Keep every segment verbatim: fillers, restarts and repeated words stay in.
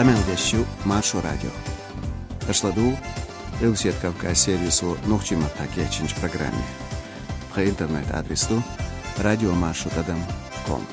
Къамел деш ю Маршо радио. Аша ладугӀу Къилбаседа Кавказ сервисо нохчийн маттахь кечйинчу программе. Тхан интернет-адрес ду радиомаршо тӀадам ком.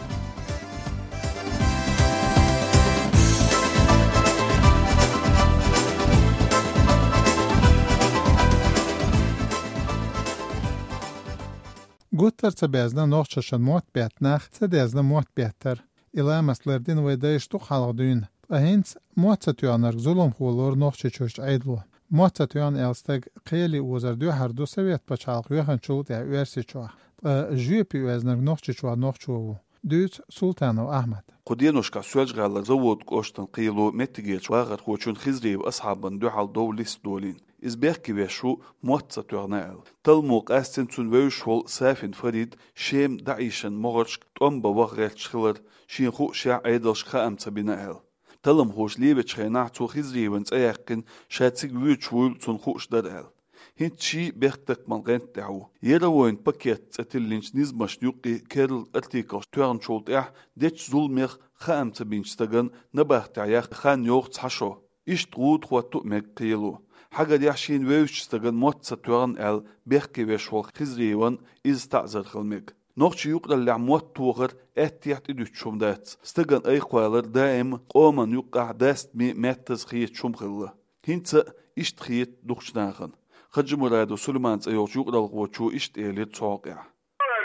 Гуттар ца безна нохчашна мотт бетта нах, ца дезна мотт беттар. И ламаст лардина вай дайша дукха хьалха дуьйна. Ткъа хӀинца мотт ца тоьхнарг зуламхо лору Нохчийчуьрчу Ӏедало. Мотт ца тоьхна аьлла стаг кхеле озар дуьхьар ду Совет пачхьалкх йоьхначул тӀаьхьа Оьрсийчохь. Ткъа жоьпе оьзнарг Нохчийчохь нохчо ву. Дуьйцу Султанов Ахьмада. Кху деношкахь Соьлжа-ГӀалара Завод кӀоштан кхело меттигерчу вахархочун Хизриев Асхьабан дуьхьал дов листа долийна. Иза бехке веш ву, мотт ца тоьхна аьлла. Талламо къастийна цунна вевзаш волу Сафин Фарид Шема ДаӀишан могӀаршка тӀом бан ваха гӀерташ хилар, шена хуушехь Ӏедалшка хаам ца бина аьлла. Талламхоша левечу хенахь цо Хизриеван цӀе яьккхина, ша цига воьдуш вуйла цунна хууш дара аьлла. ХӀинца ший бехктакхаман гӀанта тӀехь ву. Яровой пакет цӀе тиллинчу низамашна юккъе керла артиклаш тоьхначул тӀаьхьа дечу зуламех хаам ца бинчу стагана набахтехь яккха хан йоху цхьа шо. Иштта гӀуда хӀотто а мега кхело. Хьагарехь шена вевзачу стагана мотт ца тоьхна аьлла бехке веш волу Хизриеван иза таӀзар хила мега. Нохчийн юкъараллехь мотт тохар аьттехьа тӀедуьтуш хӀума дац. Стагана айкхвалар даима къоман юккъехь дастаме, меттаза хеташ хӀума хилла. ХӀинца а иштта хета дукхачу нахана. Хаджимурадов Сулайман цӀе йолчу юкъаралхочо иштта элира цу хьокъехь.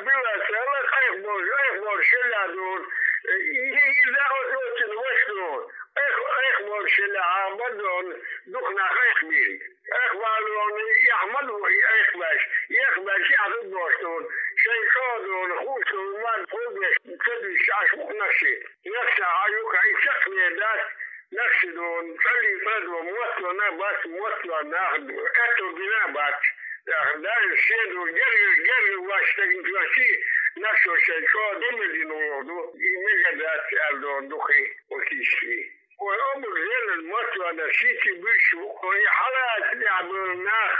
Билла царна айхболуш, айхболуш хилла дуьйна. И, и, и, и, оцу, оцу, ваша дуьйна. Айх-, айхболуш хилла, а, бадон, дукха нах айхбина. Айхбалон, и Ахьмад ву, и айхбаьш. И айхбаьш, и Ахьмад бохуш дуьйна. Шайн чӀогӀа дуьйна, хууш дуьйна, ма, хӀун деш, ца дуьйш, аш ву нах ши. Нах ша, а юкъа, и чекхне дац, нах ши дуьйна, цӀалли цӀа дуьйна, мотт тоьхна бац, мотт тоьхна нах, аьтто бина бац. Даже шен ду, герга, герга вац стеган чохь ши, нах шо шайн чӀогӀа дина дина вогӀу ду, и мега дац аьлла ду, дукхий, окиший. Ой, обуг зелан мотт тоьхна ши ки буьш, ой, хьалаца тӀехь болу нах,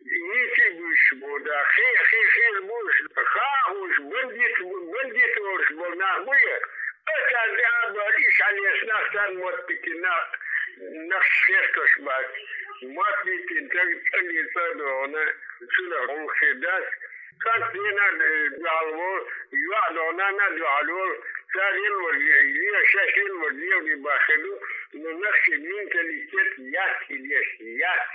и ки буьш бу, да, хе, хе, хе буьш, хахуш, бандит, бандит олуш болу нах бу я. Оцара тӀехь а бара, иш хьалеш нах, царна мотт битина нах, нах хестош бац. Мотт битина, таг цӀалли цӀа догӀна, цунах гӀуллакх хир дац. Цхьацца дийнахь, э, дуьхьал волу, йоӀ догӀна, нана дуьхьал волу, цара елвар, е, шаьш елвар, левни баххи ду, но нах шен менталитет яц и деш, яц.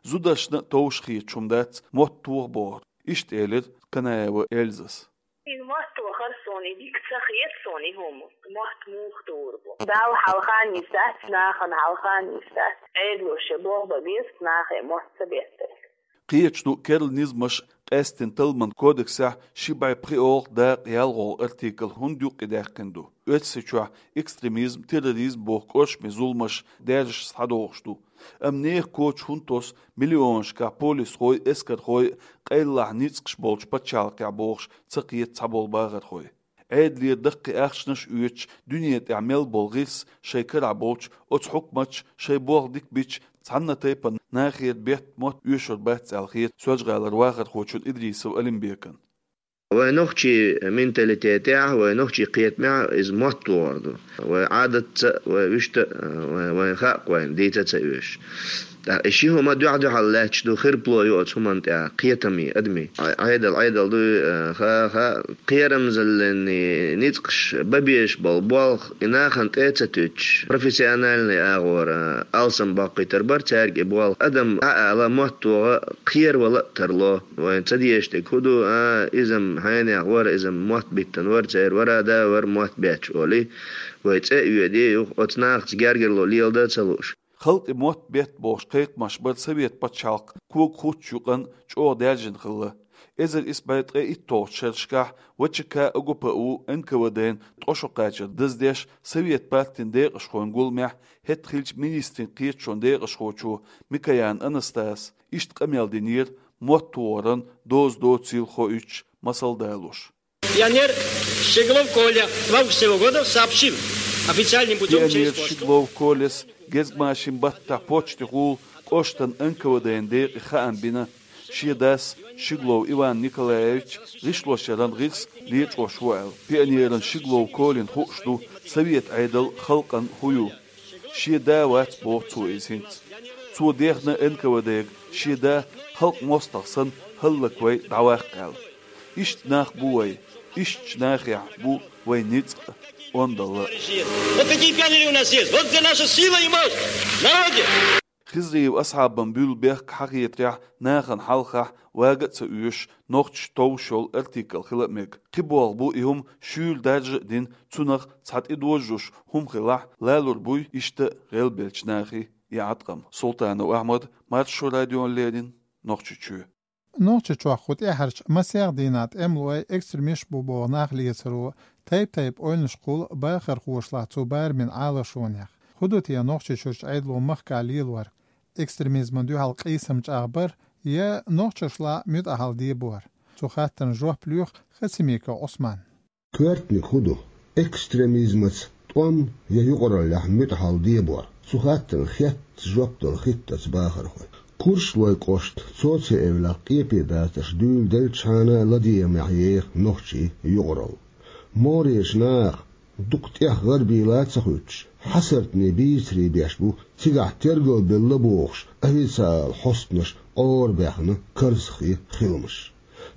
Зударшна а товш хеташ хӀума дац, мотт тоха бохург. Иштта элира Канаева Эльзас. И мотт тохар суна, и дика ца хета суна и хӀума. Мотт муха тухур бу? Далла хьалха нисдац, нахана хьалха нисдац. Ӏедало шен болх бан беза, нахе мотт ца беттарг. Кхеташ ду керла низамаш, къаьсттина талламан кодексехь ши бӀе пхиолгӀа дакъа ялхолгӀа артикл хӀунда юккъе даьккхина ду. Оьрсийчохь экстремизм, терроризм боху кӀоршаме зуламаш даьржаш схьадогӀуш ду. Амма нехан коча хӀунда тосу миллионашкахь полисхой а, эскархой а къайлахь ницкъаш болчу пачхьалкхехь бохуш ца кхета цхьаболу бахархой. Ӏедалера даккхий ахчанаш а оьцуш, дуьне тӀехь мел болу гӀирс шайн карахь болчу оцу хьукматаша шайн болх дика бича цхьанна а тайпана нахера бетта мотт оьшур бац аьлла хета Соьлжа-ГӀалара вахархочун Идрисов Алимбекан. Вайн нохчийн менталитетехь, вайн нохчийн кхетамехь иза мотт вогӀур ду. Вайн Ӏадатца а, вайн вуьшта а, вайн, вайн хаьа-кх вайна, дийца а ца оьшу. ТӀаккха и ши хӀума дуьхь-дуьхьал лаьтташ ду, хирпало ю оцу хӀуманна тӀехь, кхетаме, адамийн. Ӏе-, Ӏедал, Ӏедал ду, э, ха, ха, кхерамзаллин ницкъаш бан безаш болу болх, и нахана тӀе а ца туьттуш, профессиональный агӀора алсам баккхийтар бара цаьрга и болх. Адам Ӏа ала мотт тоха, кхеравала а тарло. Вайн ца дезаш дерг хӀун ду, а, иза-м хьенех вара, иза-м мотт биттина вара, церан вара а да вара мотт бетташ олий. Вай цӀе а оьдий, юха оцу нахаца гергарло леладан а ца лууш. Халкъе мотт бетта бохуш кхайкхамаш бара Совет пачхьалкх кога хуттучу юкъанна чӀогӀа даьржина хилла. Эзар исс бӀе ткъе итталгӀачу шерашкахь В Ч К, О Г П У, Н К В Д-н ткъа шо кхачар даздеш, Совет партин декъашхойн гуламехь хӀетахь хиллачу министрийн кхеташонан декъашхочо Микоян Анастаса иштта къамел динера, мотт вогӀаран доза доцийла хоуьйтуш, масал далош. Пионер Щеглов Коля два выпуска сего года сообщил официальным путём через Пионер почту. Щеглов Коляс гезгмашин баттахь почтехула кӀоштан Н К В Д-н декъе хаам бина, шен дас Щеглов Иван Николаевич гӀишлошъяран гӀирс лечкъош ву аьлла. Пионеран Щеглов Колян хууш ду совет Ӏедал халкъан хӀун ю. Шен да вац, боху цо иза хӀинца. Цо дехна Н К В Д-га шен да халкъан мостагӀа санна хӀаллаквай дӀаваккха аьлла. Иштта нах бу вай, иштачу нахехь бу вайн ницкъ а, ондалла а. Вот такие пионеры у нас есть. Вот где наша сила и мощь. В народе. Хизриев Асхьабан буьллу бехк хьахетарехь, нахана хьалхахь вага а ца оьшуш, нохчаша товш йолу артикл хила а мега. Кхин болх бу и хӀума шуьйра даржа а дина, цунах цхьа тӀедожош хӀума хилахь, лалур буй иштта гӀелбеллачу нахе и Ӏаткъам. Султанов Ахьмад, Маршо радиона леррина, Нохчийчоь. Нохчийчохь кху тӀаьхьарчу масех дийнахь тӀемалой экстремисташ бу боху нах лецаро, тайп-тайпа ойланаш кхуллу бахархошлахь цу барамийн Ӏалашонех. ХӀун ду те Нохчийчуьрчу Ӏедало махкахь лелор? Экстремизмана дуьхьал къийсам чӀагӀбар я нохчашлахь муьтӀахьалла дебор? Цу хаттарна жоп лоьху Хасимиков Ӏусмана. Коьртаниг хӀун ду? Экстремизмаца тӀом я юкъараллехь муьтӀахьалла дебор? Цу хаттарна хетта жоп дала хӀиттац бахархой. Курчалойн кӀоштан соцсеташ эвлакъ къепе дацарш дуьйладелчхьана, ладегӀамехь еха нохчийн юкъаралла. МогӀарерчу наха дукха тӀех гӀарабийла а ца хуьттуш, хьасартане бийцаре беш бу, цигахь тергалбелла бохуш, официалан хьостанаша Ӏорабаьхна карзахе хиламаш.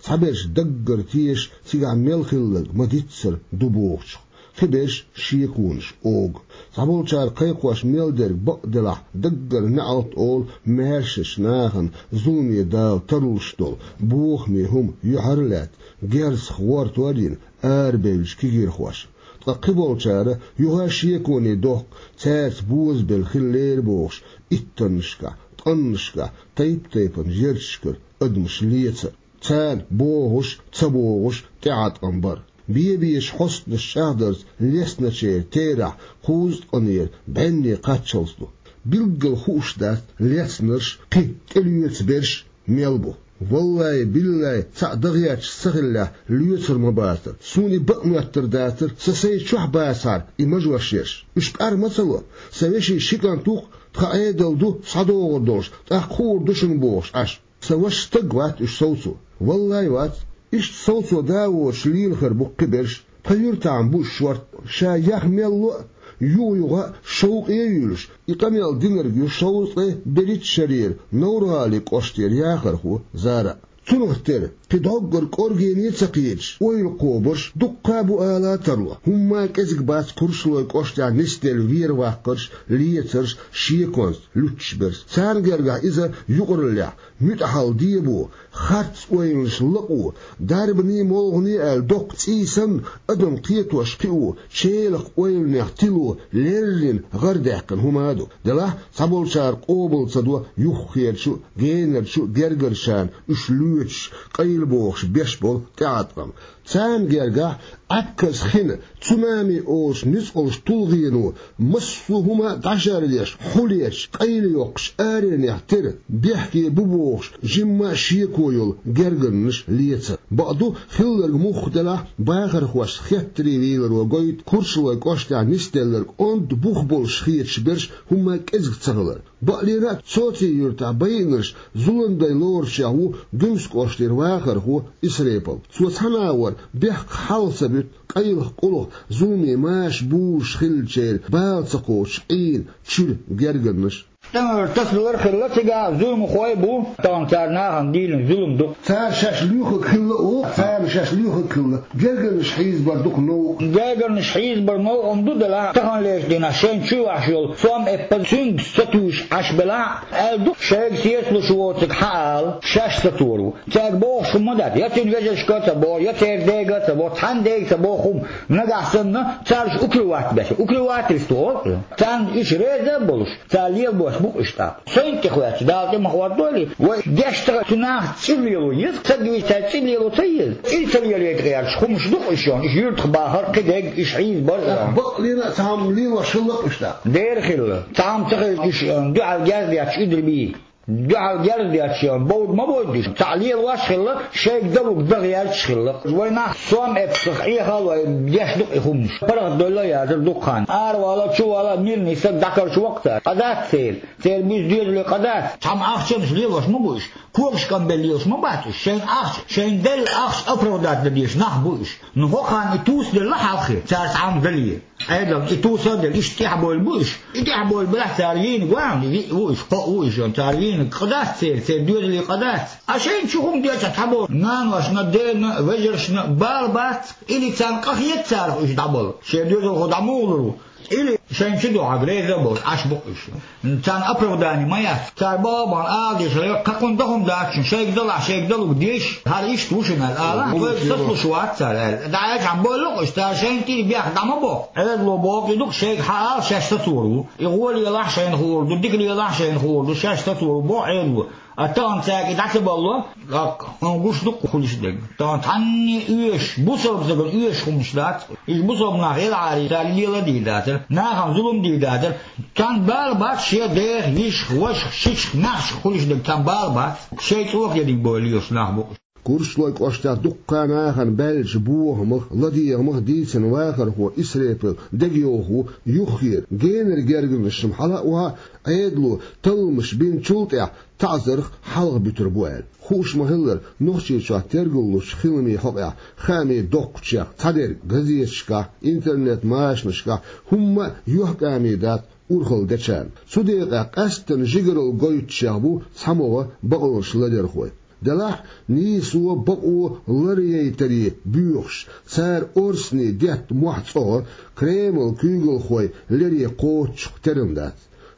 Цхьаберш даггара теша, цигахь мел хилларг ма-дийццара ду бохучух, кхиберш шеконаш огу. Цхьаболчара кхайкхош мел дерг бакъ делахь, даггара неӀалт олу маьршачу нахана зуламе дала тарлуш долу бохаме хӀума юьхьар а лаьцна, герзах гӀортор а йина, арабевллачу кегийрхошна. Ткъа кхиболчара юха а шеконе дохку, цаьрца бозабелла хиллера бохуш, иттаннашкахь, ткъаннашкахь, тайп-тайпана ярташкара адамаш лецар. Царна богӀуш, ца богӀуш тӀеӀаткъам бар. Бе-бечу хьостанаша чӀагӀдарца лецначеран терахь кхузткъанера бӀенне кхаччалц ду. Билггал хууш дац лецнарш, кхин тӀелоьцу берш мел бу. Валлай, биллай, цхьаъ дан гӀерташ ца хиллехь, лоьцур ма бацара. Суна и бакъ моьттур дацара, сан сайн чохь бацахьара и мажош ерш. Уьш къар ма ца ло. Сан вешин ши кӀант ву-кх, тхан Ӏедал ду схьадогӀур долуш, тӀаккха хуур ду шуна бохуш Ӏаш. Сан ваша стаг вац уьш совцо. Валлай, вац. Иштта совцо да а воцуш лелахар бу кхиберш. Тхан юьртахь ма бу уьш шорта. Ша яха мел ло а, юха-юха а шовкъе а юьйлуш, и къамел динарг ю шовзткъе берхӀитта шарера Новр-ГӀалин кӀоштера яхархо Зара. Цунах тера, кхин дӀоггара кӀоргене а ца кхеташ, ойла кхобарш дуккха а бу ала а тарло. ХӀумма а кӀезиг бац Курчалойн кӀоштехь нисделла вер-ваккхарш, лецарш, шеконца луьттуш берш. Царна гергахь иза юкъараллехь муьтӀахьалла дебо, харц ойланаш лакъо, дарбане, молхане аьлла доккха цӀий санна, адам кхетош кхио, челакх ойланех тило леррина гӀардаьккхина хӀума а ду. Делахь, цхьаболчара къобал ца до юххерчу а, генарчу а гергарчарна уьш лоьцуш, къайлабохуш беш болу тӀеӀаткъам. Царна гергахь Ӏатказ хина, цунами олуш ницкъалш тулгӀено, массо а хӀума дӀашарлеш, хьулечу, къайлайоккхуш, аренех тера, бехке бу бохуш, жимма а шеко йолу гергарнаш лецар. Бакъду, хилларг муха делахь, бахархошца хеттаре вийларо гойту Курчалойн кӀоштехь нисделларг онда бух болуш хеташ берш хӀумма а кӀезиг ца хилар. Бакъдерг а, Цоци-Юьртахь байинарш зуламдай лоручех ву Гуьмсан кӀоштера вахархо Исрепов. Цо цхьана а вара бехк хьалха ца буьту, къайлаха-къулаха, зуламе маша бузуш хиллачеран бала ца кхочуш Ӏийна чуьра гергарнаш. ТӀемалара тасалар а хилла цигахь, зуламхой а бу, тахана цара нахана дийна зулам ду. Цара шаьш лоьхург хилла а, царна шаьш лоьхург хилла. Гергарнаш хьийзабар дукха новкъа. Гергарнаш хьийзабар новкъа ду делахь, таханлерчу дийнахь шайна чу вахьаш йолу сом эппа цуьнга ца туьйсуш Ӏаш белахь а, аьлла ду, шайга сецалуш воцург хьаала, шаьш сатор ву. Цаьрга бохуш хӀума дац, я цуьнан вежаршка а ца боху, я церан дега а ца боху, цхьана дега ца боху хӀума. Нагахь санна, царш укрывать беш, укрывательство олу. Царна уьш реза а болуш, цара лелабош бу-кх уьш тӀаккха. Сайна тӀехваьчча, Дала тӀе ма хӀоттойла, вай деш ца хилча, нах цӀе лело еза, ца дийцча, цӀе лело ца еза. ЦӀе ца лелийта гӀерташ хӀумаш ду-кх уьш йолу, уьш юьртах бахар, кхидерг, уьш хьийзабар а. Бакъдерг а, цхьа хӀума лелош хилла-кх уьш тӀаккха. Дера хилла. Цхьа хӀума ца хилча, уьш, э, дуьхьал герз детташ уьдур бий. Дуьхьал герз детташ, бовда ма бовда уьш. Цхьаъ лелош хилла, шайга далург дан гӀерташ хилла. Вай нах сом эццах Ӏехал вай деш ду-кх и хӀуманаш. ПаргӀатдойла а яцар дукха хан. Аравала, чувала, мирный стаг дӀакхача воккха цара. Къа дац церан. Церан буьйса доьзале къа дац. Цхьамма ахчанаш лелош ма бу уьш. Когаш къамбелла лелаш ма бац уьш. Шайна ахча, шайна делла ахча оправдать дан дезаш нах бу уьш. Ну, хӀокхарна и тувсаделла хьалххе, цара цхьамма дале. Ӏедална и тувсаделла, иштта тӀехбовла бу уьш. И тӀехбовла белахь, цара вийнарг вац, виъ ву уьш, кхоъ ву уьш, цара вийнарг къа дац церан, церан доьзале къа дац. А шайна чу хӀума деча цхьаболу наношна, дена, вежаршна бала бац, или царна къахета царах уьш дӀабала. Шен доьзалхо дӀа муха лур ву? Или шайна чу дуьхьал реза а болуш, Ӏаш бу-кх уьш. Царна оправдание ма яц. Цара бала бан ала дезаш хилла, кхакхунна дан хӀума дац шуна, шайга далахь, шайга далург деша, хӀара иштта ву шуна аьлла ала, вайга сацалуш вац цара аьлла. ДӀа аьлча, хьан бойла-кх уьш, цара шайна тӀера бехк дӀа ма бо. Ӏедало боху и ду-кх, шайга хьаала шаьш сацор ву. И гӀо лелахь шайна хуур ду, дика лелахь шайна хуур ду, шаьш сацор ву, боху Ӏедало. А тахана цаьрга и дӀа ца балло, тӀаккха хьуна гуш ду-кх хуьлуш дерг. Тахана цхьанне оьшуш, бусалба стагана оьшуш хӀуманаш дац. Иза бусалба нах елахьара, цара лела а дийр дацара, нахана зулам дийр дацара. Царна бала бац шен дех, йишах, вашах, шичах, маьхчах хуьлуш дерг, царна бала бац. Шайн цӀока ерриг бовла лелаш нах бу-кх уьш. Курчалойн кӀоштехь дуккха а нахана баьллачу бохамах, ладегӀамах дийцина вахархо Исрепил дегайовхо юххера, генара гергарнашна хьала а охьа, Ӏедало талламаш бинчул тӀаьхьа таӀзарх хьалха буьтур бу аьлла. Хууш ма-хиллара, Нохчийчохь тергаллучу хиламийн хьокъехь хаамийн доккхачех цхьадерг газеташкахь, интернет-машанашкахь хӀумма а юьхькӀаме дац урхалла дечарна. Цу декъехь къаьсттина жигаралла гойтучех бу цхьамогӀа бакъонашларъярхой. Делахь а нийсо, бакъо ларъяйтаре боьхуш, цара орцане детта мохь цӀогӀа Кремлан куьйгалхой лере кхоччух терам дац.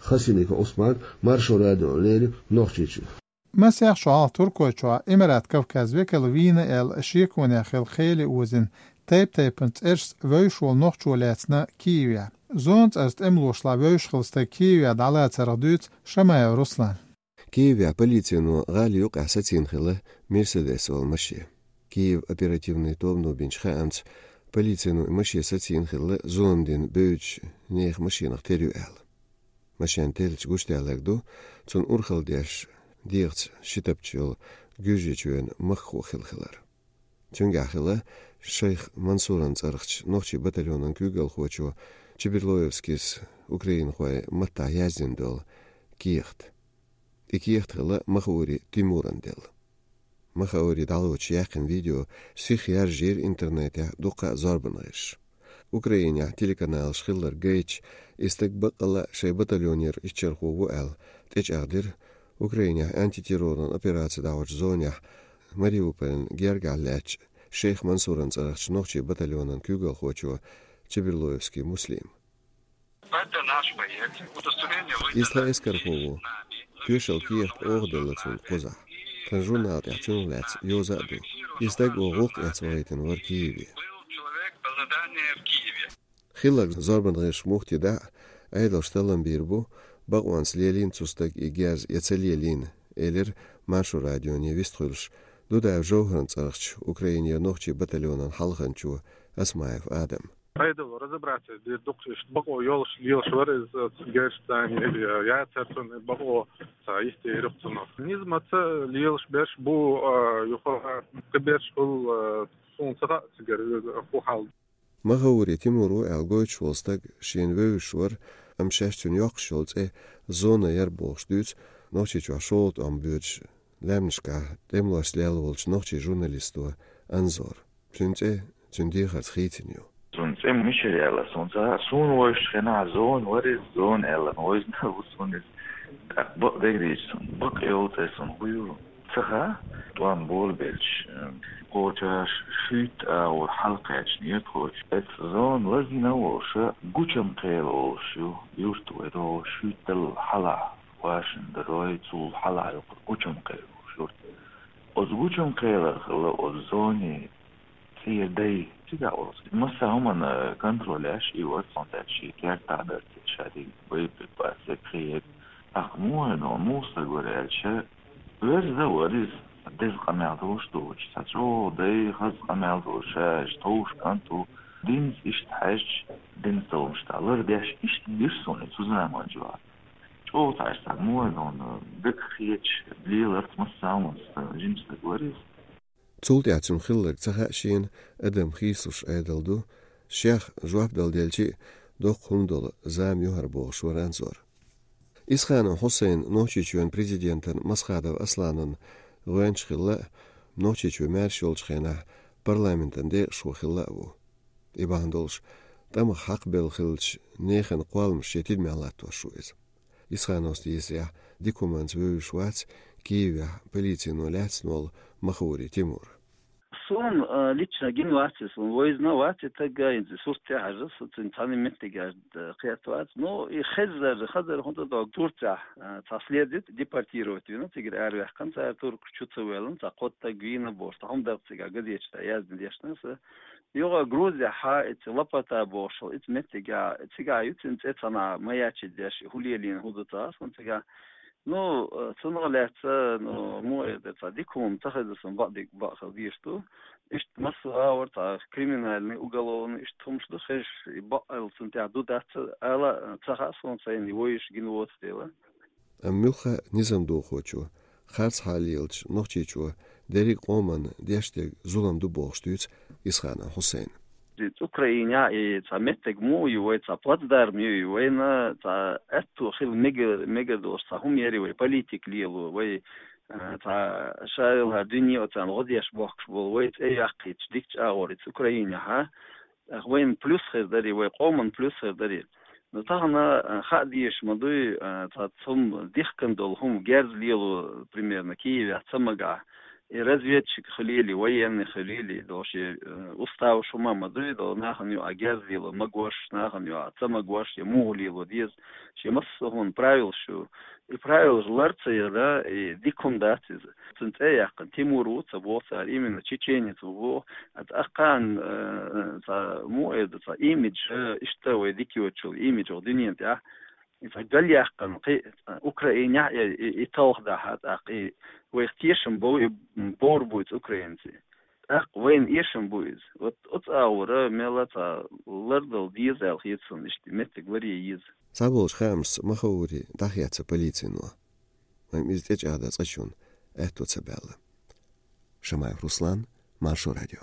Хасимиков Ӏусман, Маршо радиона леррина, Нохчийчуьра. Масех шо хьалха Туркойчохь Имарат Кавказ векал вийна аьлла шеконехь хилла кхел озийна, тайп-тайпана цӀерашца вевзаш волу нохчо лаьцна Киевехь. Зона цӀарца тӀемалошлахь вевзаш хилла стаг Киевехь дӀалацарх дуьйцу Шамаев Руслана. Киевехь полицино гӀала юккъехь сацийна хилла Мерседес олу машен. Киев оперативни тобано бинчу хаамца, полицино и машен сацийна хилла зулам дина бевзачу нехан машенах тера ю аьлла. Машен теллича гучудаьлларг ду, цунна урхалла деш, дегӀаца ши тапча йолу Гуьржийчоьнан махкахо хилла хилар. Цуьнгахь хилла Шайх Мансуран цӀарахчу нохчийн батальонан куьйгалхочо Чеберлоевскийс украинхойн маттахь яздина долу кехат. И кехат хилла Махаури Тимуран делла. Махаури дӀалоцуш яьккхина видео сиха яржийра интернетехь дуккха а зорбанан гӀирсаша. Украинехь телеканалаш хилларг гайтича, и стаг баккъалла а шайн батальонера иччархо ву аьлла, тӀечӀагӀдира Украинехь антитерроран операци дӀахьочу зонехь Мариуполан гергахь лаьттачу Шейх Мансуран цӀарахчу нохчийн батальонан куьйгалхочо Чеберлоевский Муслима. Иза тхан эскархо ву. Тоьшалла кехат оха делла цунна кхузахь. Тхан журнал тӀехь цунах лаьцна йоза а ду. И стаг оха гӀуллакх эцна вахийтина вара Киеве. Хилларг зорбанан гӀирсаша мухха тидахь а, Ӏедалша таллам бийр бу, бакъонца лелийна цу стага и герз я ца лелийна, элира Маршо радионе вистхуьлуш Дудаев ЖовхӀаран цӀарахчу Украинера нохчийн батальонан хьалханчо Осмаев Адама. Ӏедало разобраться дийр ду-кх иштта бакъо йолуш лелаш вара иза, цу герзаца или яцара цунна бакъо, ца йистера ю-кх цунах. Низамца лелаш берш бу, а, юха кхиберш хуьлу, а, суна ца хаьа цигара хӀун хьал. Махаури Тимур ву аьлла гойтуш волу стаг шена вевзаш вара, амма шаьш цуьнан йоккхуш йолу цӀе Зона яра бохуш дуьйцу Нохчийчохь шолгӀа тӀом боьдуш лаьмнашкахь тӀемалошца лелла волчу нохчийн журналисто Анзора. Цуьнан цӀе цуьнан дехарца хийцина ю. Цуьнан цӀе мичара яьлла, суна ца хаьа, суна вевзачу хенахь Зона вара иза, Зона аьлла вевзина ву суна иза. ТӀаккха бакъдерг дийцича, суна бакъ йолу цӀе суна хӀун ю ца хаьа. ТӀом болабелча, кхочуш шуьйтта агӀор хьалакхаьчна ю тхо. Эцу Зона лазийна а волуш, Гучамкхела олуш ю юрт вай, тхо шуьйтталла хьалха вашина дара вай, цул хьалха ю кху Гучамкхела олуш юрт. Оцу Гучамкхелара хилла оцу Зонин цӀера дай. Цигахь оцу массо а хӀуманна контроль еш и вара, цуьнан тӀехь шен кертахь дара те, ша дерг боеприпас, дерг кхин ерг. ТӀаккха муха веана, муха стаг вара аьлча, верза вара иза, деза къамел долуш доцуш, цхьа чӀогӀа дай, хаза къамел долуш, ша иштта товш кӀант ву, динца иштта хьаьжча, динца талламаш тӀехь лардеш, иштта гира суна цу заманчохь. ЧӀоагӀа цхьа иштта муха дона, дагахь хеташ леларца массанхьа жима стаг вар иза. Цул тӀаьхьа цунна хилларг ца хаьа шена, адам хийцалуш Ӏедал ду, шех жоп дала делча а, доккха хӀума дола зама ю хӀара бохуш вара Анзор. Исханов Хьусайн Нохчийчоьнан президентана Масхадов Асланна гӀоьнча хилла а, Нохчийчоь маьрша йолчу хенахь парламентан декъашхо хилла а ву. И бахьана долуш, тӀамах хьакхабелла хиллачу нехан кхолламаш шен тидамехь латтош ву иза. Исхановс дезарехь, дика хӀуманца вевзаш вац Киевехь полицино лаьцна волу Махаури Тимур. Суна, а, лично гина вац иза, суна вевзина вац и таг, а, иза сурт тӀехь хьажа, со цуьнан цхьана меттигаш, а, кхетта вац. Ну, и хезар, хазар хӀунда дог Турцехь, а, цхьа след ю, депортировать вина, цигара араваьккхина, цара туркаш чу ца воьллина, цхьа кхо таг вийна бохуш, цхьа хӀума даккха цигахь газеташ тӀехь яздина дешна аса. Юха Грузехь, хьа, ица Лапота бохуш, ица меттигехь, цигахь ю цуьнан цӀе цхьана маячить деш, хӀун лелийна, хӀун ду ца хаьа суна цигахь. Ну, э, цунах лаьцна, ну, муха эр дара, цхьа дика хӀума ца хеза суна бакъдерг бакъ хила дезаш ду. Иштта массо а гӀавар цхьа криминальный, уголовный, иштта хӀумаш ду хезаш, и бакъ аьлла цунна тӀехь ду дац ала, э, ца хаьа суна сайна, и вевзаш гина воцу дела. Амма муьлхха а низам дохочо, харцхьа лелачу Нохчийчоь дерриг а къоманна деш дерг зулам ду бохуш дуьйцу Исханов Хьусайна. Иза Украинехь и цхьа меттиг муха ю вай, цхьа плацдарм ю и вайна, цхьа аьтто хила мегар, мегар долуш цхьа хӀума яри вай, политика лело вай, а, цхьа шайла дуьне оцарна гӀо деш бохкуш болу вай цӀе яккхийчу дикачу агӀор иза Украинехь, а? Вайна плюс хир дарий, вай къоман плюс хир дарий. Но тахана, а, хаа дезаш ма дуй, а, цхьа цхьа хӀума дихкина долу хӀума герз лело, примерно, Киевехь ца магахь. И разведчик хилийли, военный хилийли, долу шен, э, уставаш хӀума ма дуй, долу нахана юкъа герз лело магош, нахана юкъа ца магош, я муха лело деза, шен массо а хӀума правилаш ю. И правилаш лар ца яра, и дика хӀума дац иза. Цуьнан цӀе а яьккхина, Тимур ву ца боху цара, именно чеченец ву боху. А тӀаккха, э, цхьа муха эр ду, цхьа имидж, э, иштта вай дика йоцучул имидж ваха дуьнен тӀехь. И цхьа гал яьккхина, кхин, э, Украинехь и, и, и талха дахьа, тӀаккха и вайх тешам бов, и, м, бовр бу иза украинций. ТӀаккха вайна эшам бу иза. Вот оцу агӀора мелла цхьа лардала деза аьлла хета суна, иштта меттиг ларъе еза. Цхьаболчу хаамашца Махаури дӀахецна полицино. Амма иза тӀечӀагӀдан цкъачунна аьтто ца баьлла. Шамаев Руслан, Маршо радио.